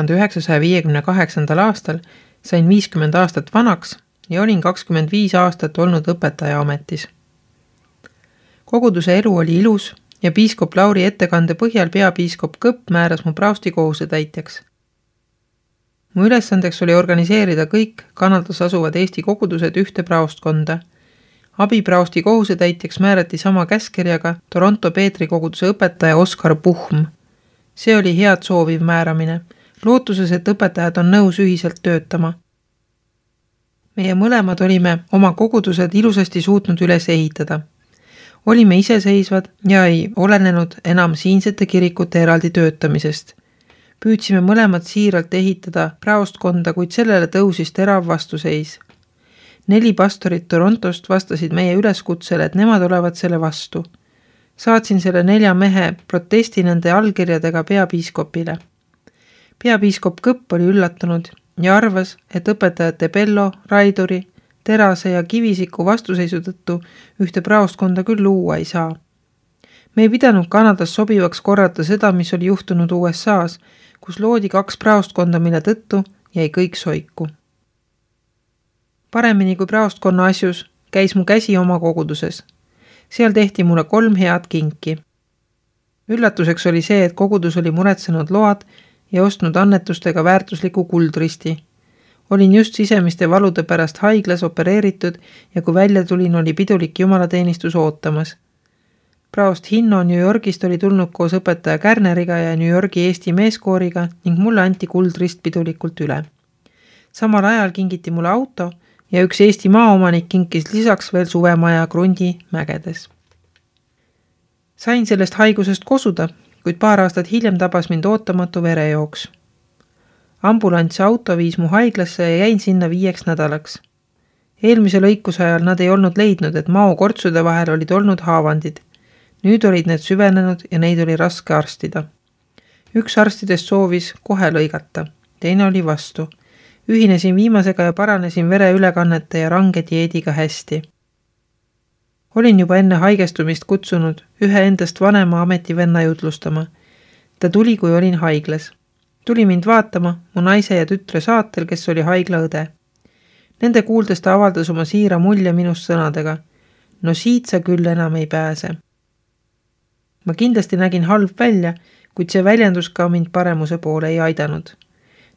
1958. aastal sain 50 aastat vanaks ja olin 25 aastat olnud õpetaja ametis. Koguduse elu oli ilus ja piiskop Lauri ettekande põhjal peapiiskop Kõpp määras mu praosti kohusetäitjaks. Mu ülesandeks oli organiseerida kõik Kanadas asuvad Eesti kogudused ühte praostkonda. Abipraosti kohusetäitjaks määrati sama käskkirjaga Toronto Peetri koguduse õpetaja Oskar Puhm. See oli head sooviv määramine, lootuses, et õpetajad on nõus ühiselt töötama. Meie mõlemad olime oma kogudused ilusasti suutnud üles ehitada. Olime iseseisvad ja ei olenenud enam siinsete kirikute eraldi töötamisest. Püüdsime mõlemad siiralt ehitada praostkonda, kuid sellele tõusis terav vastuseis. 4 pastorit Torontost vastasid meie üleskutsele, et nemad olevat selle vastu. Saatsin selle 4 mehe protesti nende allkirjadega peapiiskopile. Peapiiskop Kõpp oli üllatunud ja arvas, et õpetajate Pello, Raiduri, Terase ja Kivisiku vastuseisu tõttu ühte praostkonda küll luua ei saa. Me ei pidanud Kanadas sobivaks korrata seda, mis oli juhtunud USA-s, kus loodi 2 praostkonda, mille tõttu jäi kõik soiku. Paremini kui praostkonna asjus käis mu käsi oma koguduses. Seal tehti mulle 3 head kinki. Üllatuseks oli see, et kogudus oli muretsenud load ja ostnud annetustega väärtusliku kuldristi. Olin just sisemiste valude pärast haiglas opereeritud ja kui välja tulin, oli pidulik jumalateenistus ootamas. Praost Hinno New Yorgist oli tulnud koos õpetaja Kärneriga ja New Yorgi Eesti meeskooriga ning mulle anti kuldrist pidulikult üle. Samal ajal kingiti mulle auto ja üks Eesti maaomanik kinkis lisaks veel suvemaja Krundi mägedes. Sain sellest haigusest kosuda, kuid paar aastat hiljem tabas mind ootamatu verejooks. Ambulants auto viis mu haiglasse ja jäin sinna 5 nädalaks. Eelmise lõikuse ajal nad ei olnud leidnud, et mao kortsude vahel olid olnud haavandid. Nüüd olid need süvenenud ja neid oli raske arstida. Üks arstidest soovis kohe lõigata, teine oli vastu. Ühinesin viimasega ja paranesin vereülekannete ja range dieediga hästi. Olin juba enne haigestumist kutsunud ühe endast vanema ametivenna jutlustama. Ta tuli, kui olin haiglas. Tuli mind vaatama mu naise ja tütre saatel, kes oli haiglaõde. Nende kuuldes ta avaldas oma siira mulje minust sõnadega. No siit sa küll enam ei pääse. Ma kindlasti nägin halb välja, kuid see väljendus ka mind paremuse poole ei aidanud.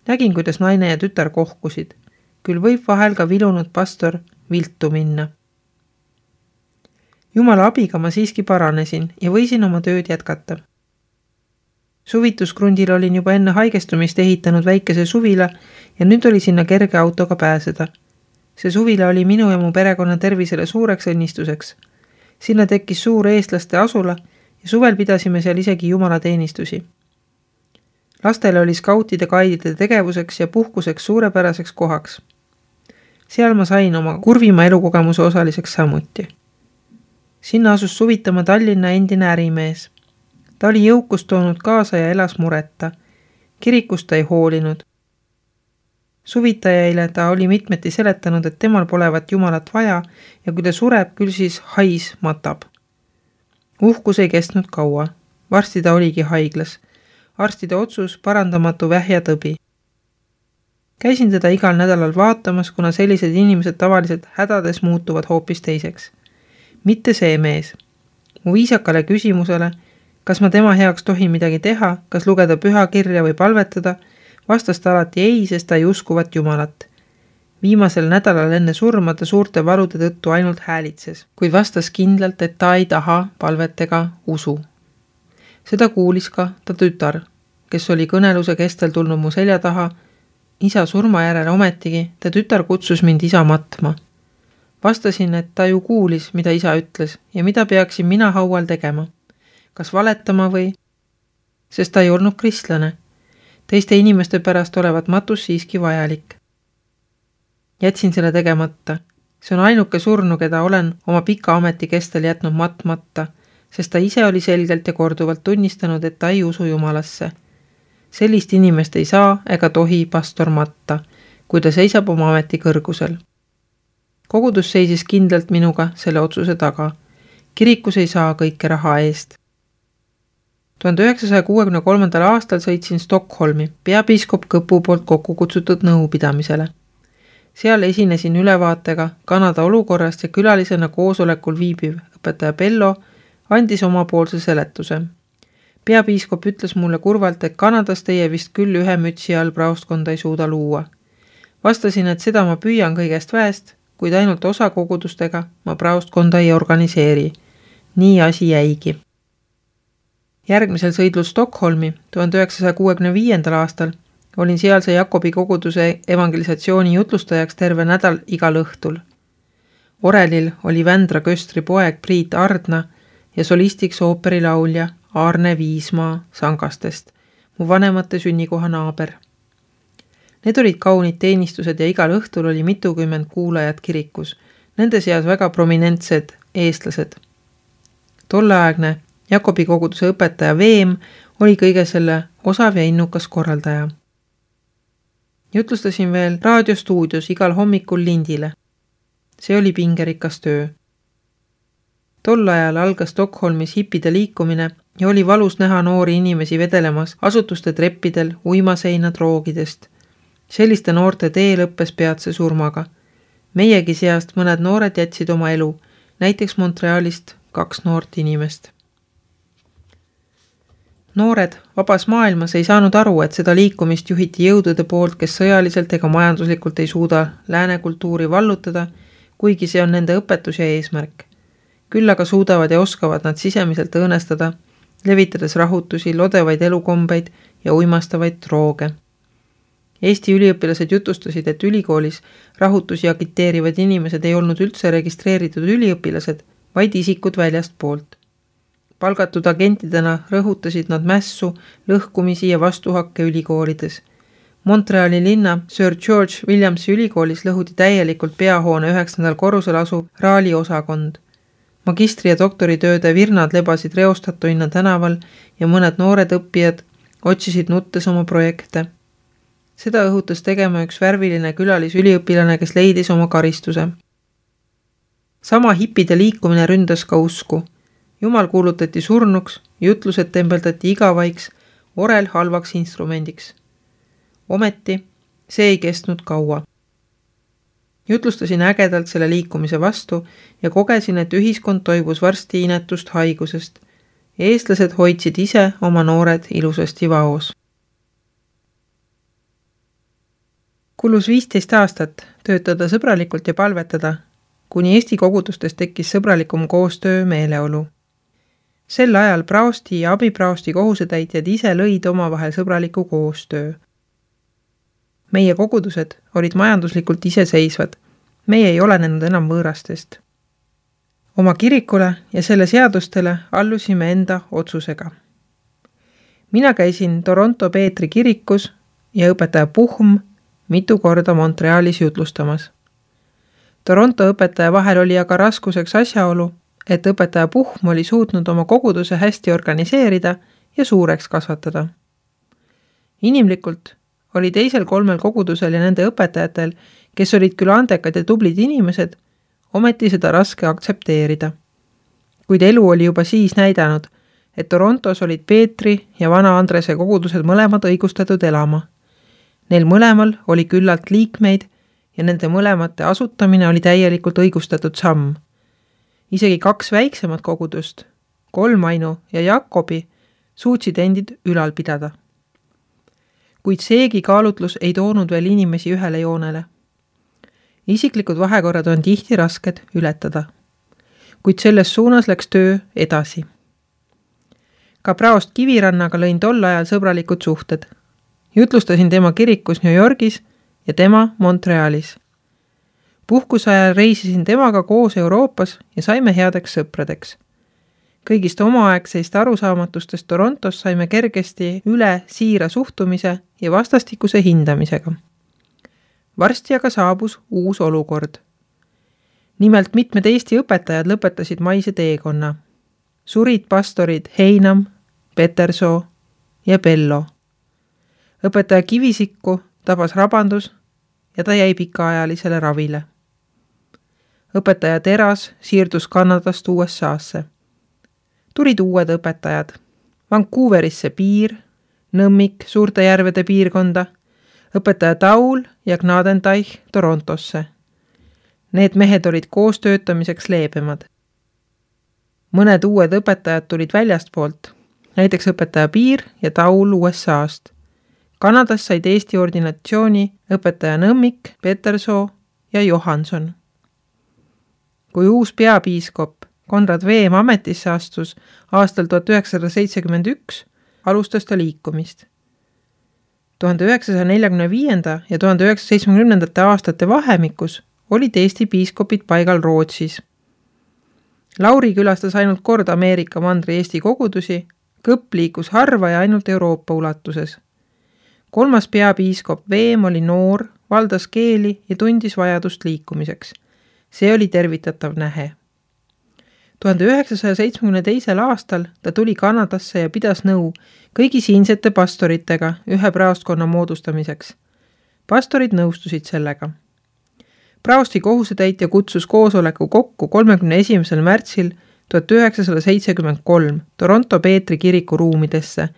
Nägin, kuidas naine ja tütar kohkusid. Küll võib vahel ka vilunud pastor viltu minna. Jumala abiga ma siiski paranesin ja võisin oma tööd jätkata. Suvituskrundil olin juba enne haigestumist ehitanud väikese suvila ja nüüd oli sinna kerge autoga pääseda. See suvila oli minu ja mu perekonna tervisele suureks õnnistuseks. Sinna tekkis suur eestlaste asula ja suvel pidasime seal isegi jumalateenistusi. Lastele oli skautide gaidide tegevuseks ja puhkuseks suurepäraseks kohaks. Seal ma sain oma kurvima elukogemuse osaliseks samuti. Sinna asus suvitama Tallinna endine ärimees. Ta oli jõukust toonud kaasa ja elas mureta. Kirikust ta ei hoolinud. Suvitajaile ta oli mitmeti seletanud, et temal polevat jumalat vaja ja kui ta sureb, küll siis hais matab. Uhkus ei kestnud kaua. Varsti ta oligi haiglas. Arstide otsus parandamatu vähja tõbi. Käisin teda igal nädalal vaatamas, kuna sellised inimesed tavaliselt hädades muutuvad hoopis teiseks. Mitte see mees. Mu viisakale küsimusele, kas ma tema heaks tohin midagi teha, kas lugeda pühakirja või palvetada, vastas ta alati ei, sest ta ei uskuvat jumalat. Viimasel nädalal enne surma ta suurte valude tõttu ainult häälitses, kuid vastas kindlalt, et ta ei taha palvet ega usu. Seda kuulis ka ta tütar, kes oli kõneluse kestel tulnud mu selja taha. Isa surma järele ometigi, ta tütar kutsus mind isa matma. Vastasin, et ta ju kuulis, mida isa ütles ja mida peaksin mina haual tegema. Kas valetama või? Sest ta ei olnud kristlane. Teiste inimeste pärast olevat matus siiski vajalik. Jätsin selle tegemata. See on ainuke surnu, keda olen oma pika ameti kestel jätnud matmata, sest ta ise oli selgelt ja korduvalt tunnistanud, et ta ei usu jumalasse. Sellist inimest ei saa ega tohi pastor matta, kui ta seisab oma ameti kõrgusel. Kogudus seisis kindlalt minuga selle otsuse taga. Kirikus ei saa kõike raha eest. 1963. aastal sõitsin Stockholmi peapiiskop Kõpu poolt kokku kutsutud nõupidamisele. Seal esinesin ülevaatega Kanada olukorrast ja külalisena koosolekul viibiv õpetaja Bello andis omapoolse seletuse. Peapiiskop ütles mulle kurvalt, et Kanadas teie vist küll ühe mütsi all praostkonda ei suuda luua. Vastasin, et seda ma püüan kõigest väest, kuid ainult osa kogudustega ma praostkonda ei organiseeri. Nii asi jäigi. Järgmisel sõidlul Stockholmi 1965. aastal olin sealse Jakobi koguduse evangelisatsiooni jutlustajaks terve nädal igal õhtul. Orelil oli Vändra Köstri poeg Priit Ardna ja solistiks ooperilaulja Arne Viismaa Sangastest, mu vanemate sünnikoha naaber. Need olid kaunid teenistused ja igal õhtul oli mitukümmend kuulajat kirikus, nende seas väga prominentsed eestlased. Tolleaegne Jakobi koguduse õpetaja Veem oli kõige selle osav ja innukas korraldaja. Jutlustasin veel raadiostuudios igal hommikul lindile. See oli pingerikas töö. Tol ajal algas Stockholmis hippide liikumine ja oli valus näha noori inimesi vedelemas asutuste treppidel uimaseinad roogidest. Selliste noorte tee lõppes peatse surmaga. Meiegi seast mõned noored jätsid oma elu, näiteks Montrealist 2 noort inimest. Noored vabas maailmas ei saanud aru, et seda liikumist juhiti jõudude poolt, kes sõjaliselt ega majanduslikult ei suuda lääne kultuuri vallutada, kuigi see on nende õpetus ja eesmärk. Küll aga suudavad ja oskavad nad sisemiselt õõnestada, levitades rahutusi, lodevaid elukombeid ja uimastavaid drooge. Eesti üliõpilased jutustasid, et ülikoolis rahutusi agiteerivad inimesed ei olnud üldse registreeritud üliõpilased, vaid isikud väljast poolt. Palgatud agentidena rõhutasid nad mässu, lõhkumisi ja vastuhakke ülikoolides. Montreali linna Sir George Williamsi ülikoolis lõhuti täielikult peahoone 9. korrusel asuv raali osakond. Magistri- ja doktoritööde virnad lebasid reostatuina tänaval ja mõned noored õppijad otsisid nuttes oma projekte. Seda õhutas tegema üks värviline külalisüliõpilane, kes leidis oma karistuse. Sama hippide liikumine ründas ka usku. Jumal kuulutati surnuks, jutlused tembeldati igavaiks, orel halvaks instrumendiks. Ometi see ei kestnud kaua. Jutlustasin ägedalt selle liikumise vastu ja kogesin, et ühiskond toibus varsti inetust haigusest. Eestlased hoidsid ise oma noored ilusasti vaos. Kulus 15 aastat töötada sõbralikult ja palvetada, kuni Eesti kogudustes tekkis sõbralikum koostöö meeleolu. Sel ajal praosti ja abipraosti kohusetäitjad ise lõid omavahel sõbraliku koostöö. Meie kogudused olid majanduslikult iseseisvad, meie ei olenenud enam võõrastest. Oma kirikule ja selle seadustele allusime enda otsusega. Mina käisin Toronto Peetri kirikus ja õpetaja Puhm mitu korda Montrealis jutlustamas. Toronto õpetaja vahel oli aga raskuseks asjaolu, et õpetaja Puhm oli suutnud oma koguduse hästi organiseerida ja suureks kasvatada. Inimlikult oli teisel 3 kogudusel ja nende õpetajatel, kes olid küll andekad ja tublid inimesed, ometi seda raske aktsepteerida. Kuid elu oli juba siis näidanud, et Torontos olid Peetri ja Vana Andrese kogudused mõlemad õigustatud elama. Neil mõlemal oli küllalt liikmeid ja nende mõlemate asutamine oli täielikult õigustatud samm. Isegi 2 väiksemat kogudust, Kolmainu ja Jakobi, suutsid endid ülal pidada. Kuid seegi kaalutlus ei toonud veel inimesi ühele joonele. Isiklikud vahekorrad on tihti rasked ületada. Kuid selles suunas läks töö edasi. Ka praost Kivirannaga lõin tol ajal sõbralikud suhted. Jutlustasin tema kirikus New Yorgis ja tema Montrealis. Puhkuse ajal reisisin temaga koos Euroopas ja saime headeks sõpradeks. Kõigist omaaegseist arusaamatustest Torontos saime kergesti üle siira suhtumise ja vastastikuse hindamisega. Varsti aga saabus uus olukord. Nimelt mitmed Eesti õpetajad lõpetasid maise teekonna. Surid pastorid Heinam, Petersoo ja Bello. Õpetaja Kivisikku tabas rabandus ja ta jäi pikaajalisele ravile. Õpetaja Teras siirdus Kanadast USA-sse. Tulid uued õpetajad. Vancouverisse Piir, Nõmmik Suurte järvede piirkonda, õpetaja Taul ja Gnadenteich Torontosse. Need mehed olid koos töötamiseks leebemad. Mõned uued õpetajad tulid väljastpoolt, näiteks õpetaja Piir ja Taul USA-st. Kanadas said Eesti ordinatsiooni õpetaja Nõmmik, Petersoo ja Johanson. Kui uus peapiiskop Konrad Veem ametisse astus aastal 1971, alustas ta liikumist. 1945. ja 1970. aastate vahemikus olid Eesti piiskopid paigal Rootsis. Lauri külastas ainult kord Ameerika mandri Eesti kogudusi, Kõpp liikus harva ja ainult Euroopa ulatuses. 3. peapiiskop Veem oli noor, valdas keeli ja tundis vajadust liikumiseks. See oli tervitatav nähe. 1972. aastal ta tuli Kanadasse ja pidas nõu kõigi siinsete pastoritega ühe praostkonna moodustamiseks. Pastorid nõustusid sellega. Praosti kohusetäitja kutsus koosoleku kokku 31. märtsil 1973 Toronto Peetri kiriku ruumidesse,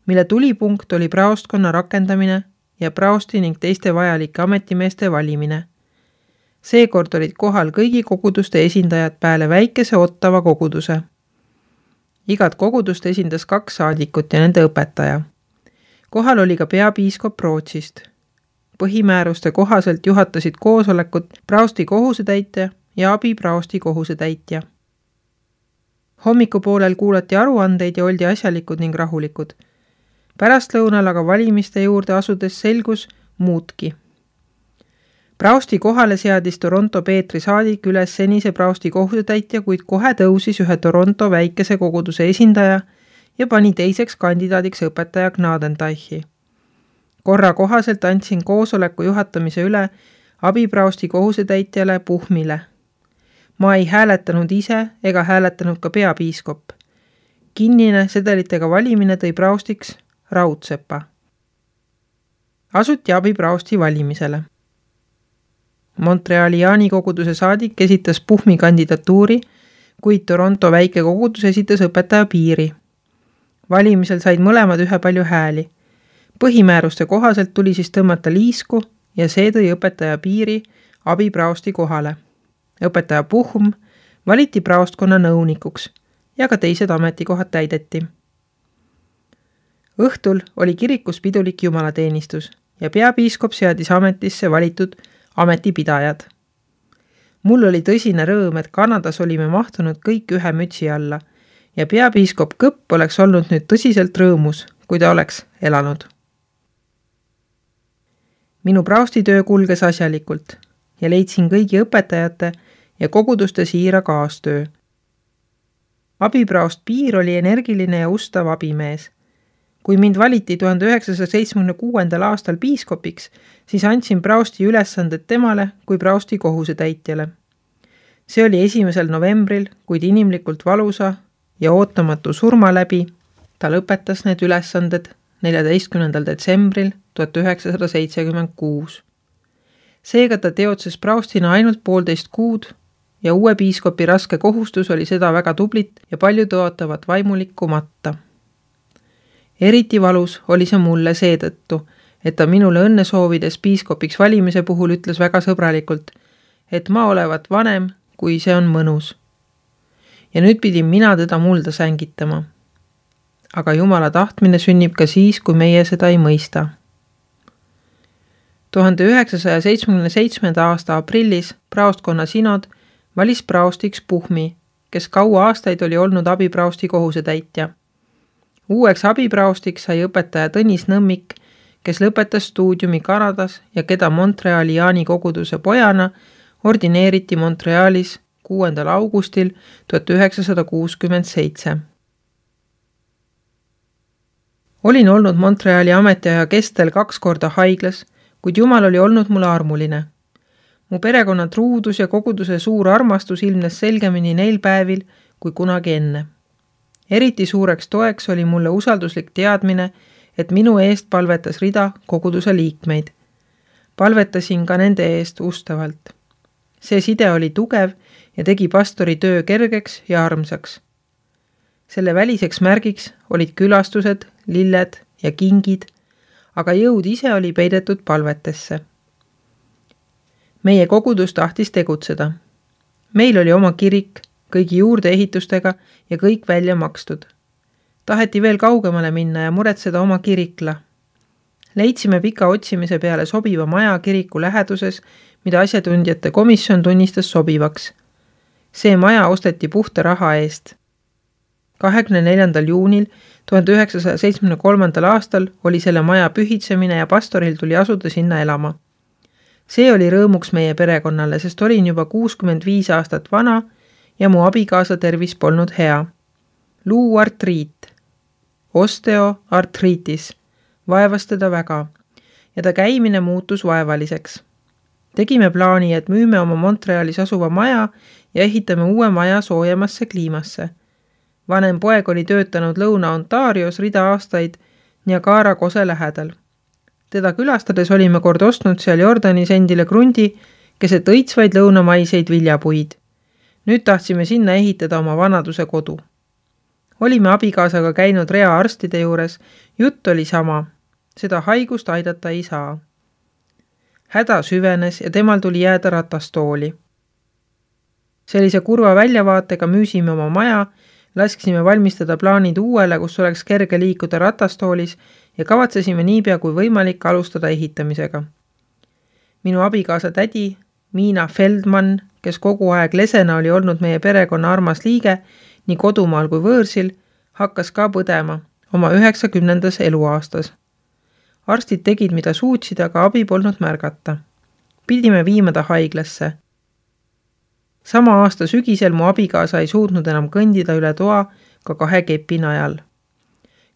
mille tulipunkt oli praostkonna rakendamine ja praosti ning teiste vajalike ametimeeste valimine. Seekord olid kohal kõigi koguduste esindajad peale väikese Ottawa koguduse. Igat kogudust esindas 2 saadikut ja nende õpetaja. Kohal oli ka peapiiskop Rootsist. Põhimääruste kohaselt juhatasid koosolekut praosti kohusetäitja ja abipraosti kohusetäitja. Hommikupoolel kuulati aruandeid ja oldi asjalikud ning rahulikud. Pärastlõunal aga valimiste juurde asudes selgus muudki. Praosti kohale seadis Toronto Peetri saadik üles senise praosti kohusetäitja, kuid kohe tõusis ühe Toronto väikese koguduse esindaja ja pani teiseks kandidaadiks õpetaja Gnadenteichi. Korra kohaselt andsin koosoleku juhatamise üle abipraosti kohusetäitjale Puhmile. Ma ei hääletanud ise ega hääletanud ka peapiiskop. Kinnine sedelitega valimine tõi praostiks Raudsepa. Asuti abipraosti valimisele. Montreali Jaani koguduse saadik esitas Puhmi kandidatuuri, kuid Toronto väike kogudus esitas õpetaja Piiri. Valimisel said mõlemad ühe palju hääli. Põhimääruste kohaselt tuli siis tõmmata liisku ja see tõi õpetaja Piiri abipraosti kohale. Õpetaja Puhm valiti praostkonna nõunikuks ja ka teised ametikohad täideti. Õhtul oli kirikus pidulik jumalateenistus ja peapiiskop seadis ametisse valitud ametipidajad. Mul oli tõsine rõõm, et Kanadas olime mahtunud kõik ühe mütsi alla ja peapiiskop Kõpp oleks olnud nüüd tõsiselt rõõmus, kui ta oleks elanud. Minu praostitöö kulges asjalikult ja leidsin kõigi õpetajate ja koguduste siira kaastöö. Abipraost Piir oli energiline ja ustav abimees. Kui mind valiti 1976. aastal piiskopiks, siis andsin praosti ülesanded temale kui praosti kohusetäitjale. See oli 1. novembril, kuid inimlikult valusa ja ootamatu surma läbi ta lõpetas need ülesanded 14. detsembril 1976. Seega ta teotses praostina ainult 1,5 kuud ja uue piiskopi raske kohustus oli seda väga tublit ja palju tõotavat vaimulikku matta. Eriti valus oli see mulle seetõttu, et ta minule õnne soovides piiskopiks valimise puhul ütles väga sõbralikult, et ma olevat vanem, kui see on mõnus. Ja nüüd pidin mina teda mulda sängitama. Aga Jumala tahtmine sünnib ka siis, kui meie seda ei mõista. 1977. aasta aprillis praostkonna sinod valis praostiks Puhmi, kes kaua aastaid oli olnud abipraosti kohusetäitja. Uueks abipraostiks sai õpetaja Tõnis Nõmmik, kes lõpetas stuudiumi Kanadas ja keda Montreali Jaani koguduse pojana ordineeriti Montrealis 6. augustil 1967. Olin olnud Montreali ametiaja kestel 2 korda haiglas, kuid Jumal oli olnud mulle armuline. Mu perekonna truudus ja koguduse suur armastus ilmnes selgemini neil päevil kui kunagi enne. Eriti suureks toeks oli mulle usalduslik teadmine, et minu eest palvetas rida koguduse liikmeid. Palvetasin ka nende eest ustavalt. See side oli tugev ja tegi pastori töö kergeks ja armsaks. Selle väliseks märgiks olid külastused, lilled ja kingid, aga jõud ise oli peidetud palvetesse. Meie kogudus tahtis tegutseda. Meil oli oma kirik, kõigi juurdeehitustega ja kõik välja makstud. Taheti veel kaugemale minna ja muretseda oma kirikla. Leidsime pika otsimise peale sobiva maja kiriku läheduses, mida asjatundjate komisjon tunnistas sobivaks. See maja osteti puhta raha eest. 24. juunil 1973. aastal oli selle maja pühitsemine ja pastoril tuli asuda sinna elama. See oli rõõmuks meie perekonnale, sest olin juba 65 aastat vana ja mu abikaasa tervis polnud hea. Luuartriit, osteoartriitis, vaevas teda väga ja ta käimine muutus vaevaliseks. Tegime plaani, et müüme oma Montrealis asuva maja ja ehitame uue maja soojemasse kliimasse. Vanem poeg oli töötanud Lõuna-Ontarios rida aastaid Niagara kose lähedal. Teda külastades olime kord ostnud seal Jordanis endile krundi, keset õitsvaid lõunamaiseid viljapuid. Nüüd tahtsime sinna ehitada oma vanaduse kodu. Olime abikaasaga käinud rea arstide juures, jutt oli sama. Seda haigust aidata ei saa. Häda süvenes ja temal tuli jääda ratastooli. Sellise kurva väljavaatega müüsime oma maja, laskisime valmistada plaanid uuele, kus oleks kerge liikuda ratastoolis ja kavatsesime niipea kui võimalik alustada ehitamisega. Minu abikaasa tädi, Miina Feldman, kes kogu aeg lesena oli olnud meie perekonna armas liige, nii kodumaal kui võõrsil, hakkas ka põdema oma 90. eluaastas. Arstid tegid, mida suutsid, aga abi polnud märgata. Pidime viima ta haiglasse. Sama aasta sügisel mu abikaasa ei suutnud enam kõndida üle toa ka 2 kepi najal.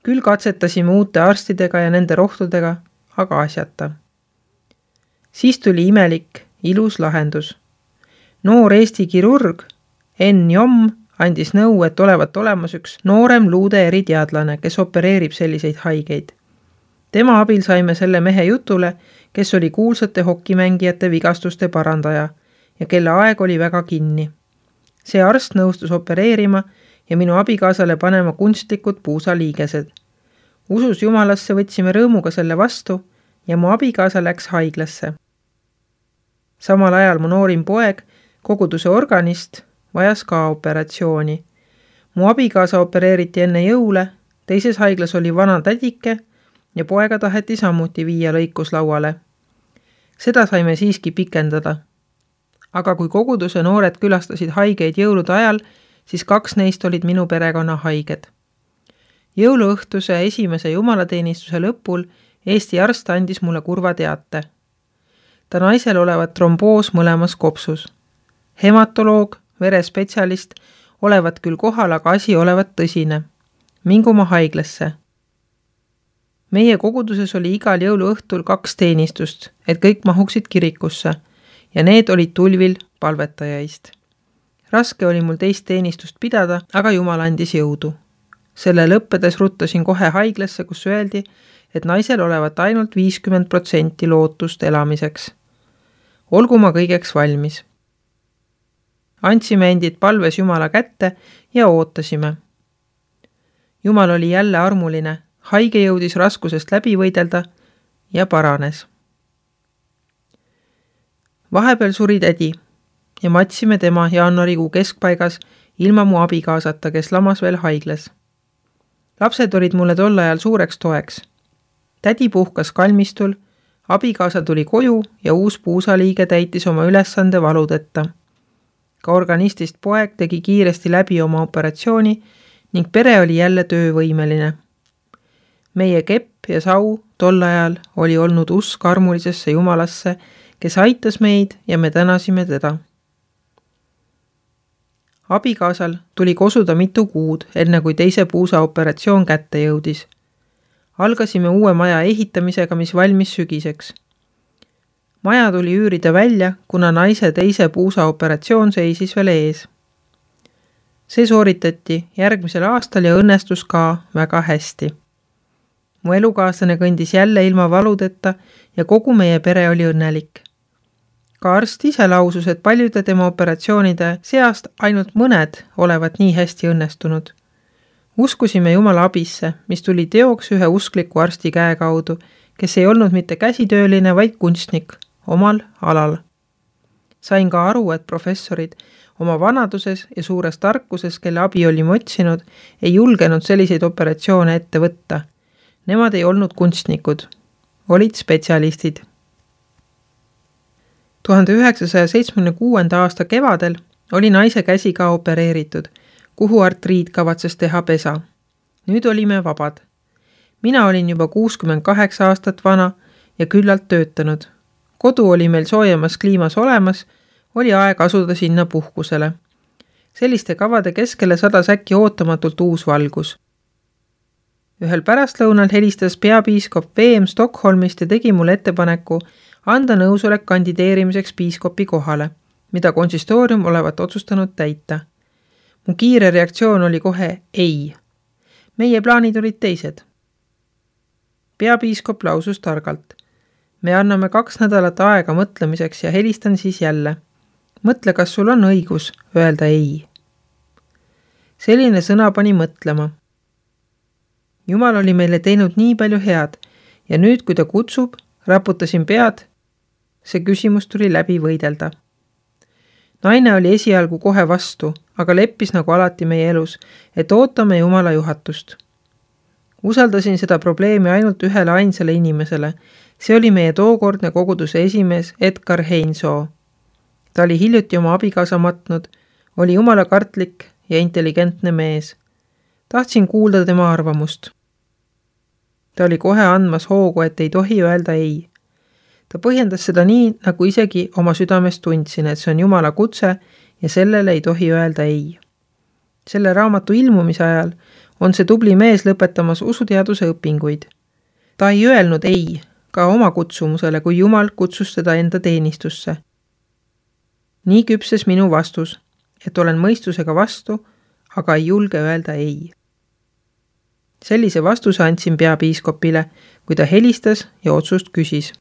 Küll katsetasime uute arstidega ja nende rohtudega, aga asjata. Siis tuli imelik, ilus lahendus. Noor Eesti kirurg Enn Jomm andis nõu, et olevat olemas üks noorem luude eriteadlane, kes opereerib selliseid haigeid. Tema abil saime selle mehe jutule, kes oli kuulsate hokimängijate vigastuste parandaja ja kelle aeg oli väga kinni. See arst nõustus opereerima ja minu abikaasale panema kunstlikud puusaliigesed. Usus Jumalasse võtsime rõõmuga selle vastu ja mu abikaasa läks haiglasse. Samal ajal mu noorim poeg, koguduse organist, vajas ka operatsiooni. Mu abikaasa opereeriti enne jõule, teises haiglas oli vana tädike ja poega taheti samuti viia lõikuslauale. Seda saime siiski pikendada. Aga kui koguduse noored külastasid haigeid jõulude ajal, siis 2 neist olid minu perekonna haiged. Jõuluõhtuse esimese jumalateenistuse lõpul Eesti arst andis mulle kurva teate. Ta naisel olevat tromboos mõlemas kopsus. Hematoloog, verespetsialist olevat küll kohal, aga asi olevat tõsine. Mingu ma haiglasse. Meie koguduses oli igal jõuluõhtul 2 teenistust, et kõik mahuksid kirikusse ja need olid tulvil palvetajaist. Raske oli mul teist teenistust pidada, aga Jumal andis jõudu. Selle lõppedes ruttasin kohe haiglasse, kus öeldi, et naisel olevat ainult 50% lootust elamiseks. Olgu ma kõigeks valmis. Andsime endid palves Jumala kätte ja ootasime. Jumal oli jälle armuline, haige jõudis raskusest läbi võidelda ja paranes. Vahepeal suri tädi ja matsime tema jaanuarikuu keskpaigas ilma mu abikaasata, kes lamas veel haiglas. Lapsed olid mulle tol ajal suureks toeks. Tädi puhkas kalmistul, abikaasa tuli koju ja uus puusaliige täitis oma ülesande valudeta. Ka organistist poeg tegi kiiresti läbi oma operatsiooni ning pere oli jälle töövõimeline. Meie kepp ja sau tol ajal oli olnud usk armulisesse Jumalasse, kes aitas meid ja me tänasime teda. Abikaasal tuli kosuda mitu kuud, enne kui teise puusa operatsioon kätte jõudis. Algasime uue maja ehitamisega, mis valmis sügiseks. Maja tuli üürida välja, kuna naise teise puusa operatsioon seisis veel ees. See sooritati järgmisel aastal ja õnnestus ka väga hästi. Mu elukaaslane kõndis jälle ilma valudeta ja kogu meie pere oli õnnelik. Ka arst ise lausus, et paljude tema operatsioonide seast ainult mõned olevat nii hästi õnnestunud. Uskusime Jumala abisse, mis tuli teoks ühe uskliku arsti käe kaudu, kes ei olnud mitte käsitööline, vaid kunstnik omal alal. Sain ka aru, et professorid oma vanaduses ja suures tarkuses, kelle abi olime otsinud, ei julgenud selliseid operatsioone ette võtta. Nemad ei olnud kunstnikud, olid spetsialistid. 1976. aasta kevadel oli naise käsi ka opereeritud, kuhu artriit kavatses teha pesa. Nüüd olime vabad. Mina olin juba 68 aastat vana ja küllalt töötanud. Kodu oli meil soojemas kliimas olemas, oli aeg asuda sinna puhkusele. Selliste kavade keskele sadas äkki ootamatult uus valgus. Ühel pärastlõunal helistas peapiiskop VM Stockholmist ja tegi mulle ettepaneku anda nõusolek kandideerimiseks piiskopi kohale, mida konsistoorium olevat otsustanud täita. Mu kiire reaktsioon oli kohe ei. Meie plaanid olid teised. Peapiiskop lausus targalt. Me anname 2 nädalat aega mõtlemiseks ja helistan siis jälle. Mõtle, kas sul on õigus öelda ei. Selline sõna pani mõtlema. Jumal oli meile teinud nii palju head ja nüüd, kui ta kutsub, raputasin pead, see küsimus tuli läbi võidelda. Naine oli esialgu kohe vastu, aga leppis nagu alati meie elus, et ootame Jumala juhatust. Usaldasin seda probleemi ainult ühele ainsale inimesele. See oli meie tookordne koguduse esimees Edgar Heinsoo. Ta oli hiljuti oma abikaasa matnud, oli jumalakartlik ja intelligentne mees. Tahtsin kuulda tema arvamust. Ta oli kohe andmas hoogu, et ei tohi öelda ei. Ta põhjendas seda nii, nagu isegi oma südames tundsin, et see on Jumala kutse ja sellele ei tohi öelda ei. Selle raamatu ilmumise ajal on see tubli mees lõpetamas usuteaduse õpinguid. Ta ei öelnud ei ka oma kutsumusele, kui Jumal kutsus teda enda teenistusse. Nii küpses minu vastus, et olen mõistusega vastu, aga ei julge öelda ei. Sellise vastuse andsin peapiiskopile, kui ta helistas ja otsust küsis.